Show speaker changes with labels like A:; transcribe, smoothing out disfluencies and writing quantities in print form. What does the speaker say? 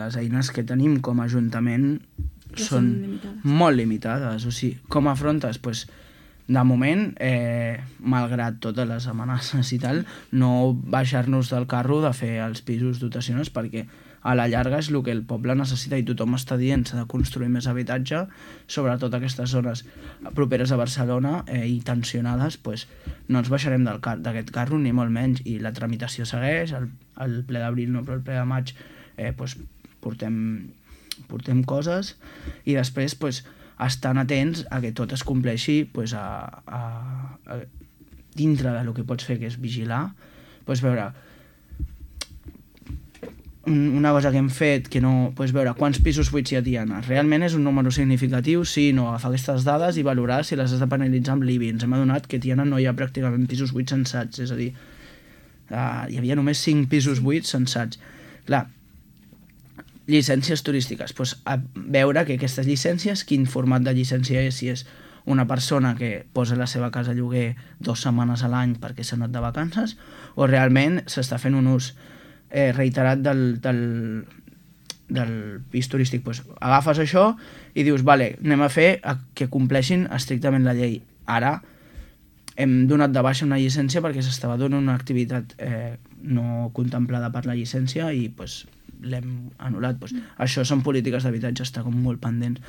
A: Les eines que tenim com a Ajuntament són molt limitades. O sigui, com afrontes? Pues, de moment, malgrat totes les amenaces i tal, no baixar-nos del carro de fer els pisos dotacionals, perquè a la llarga és el que el poble necessita i tothom està dient s'ha de construir més habitatge, sobretot aquestes zones properes a Barcelona i tensionades, pues, no ens baixarem d'aquest carro ni molt menys, i la tramitació segueix, el ple d'abril no, però el ple de maig pues, portem coses, i després pues, estan atents a que tot es compleixi pues, dintre del que pots fer, que és vigilar. Pues, veure, una cosa que hem fet, que no, pues, veure quants pisos buits hi ha. Realment és un número significatiu, sí, no, agafar aquestes dades i valorar si les has de penalitzar amb l'IBI. Ens hem adonat que a Tiana no hi ha pràcticament pisos buits censats, és a dir, hi havia només 5 pisos buits censats. Clar, llicències turístiques, doncs a veure que aquestes llicències, quin format de llicència és, si és una persona que posa la seva casa a lloguer 2 setmanes a l'any perquè s'ha anat de vacances, o realment s'està fent un ús reiterat del pis turístic. Doncs agafes això i dius, vale, anem a fer que compleixin estrictament la llei. Ara hem donat de baixa una llicència perquè s'estava donant una activitat no contemplada per la llicència i doncs l'hem anul·lat. Això són polítiques d'habitatge, està com molt pendents.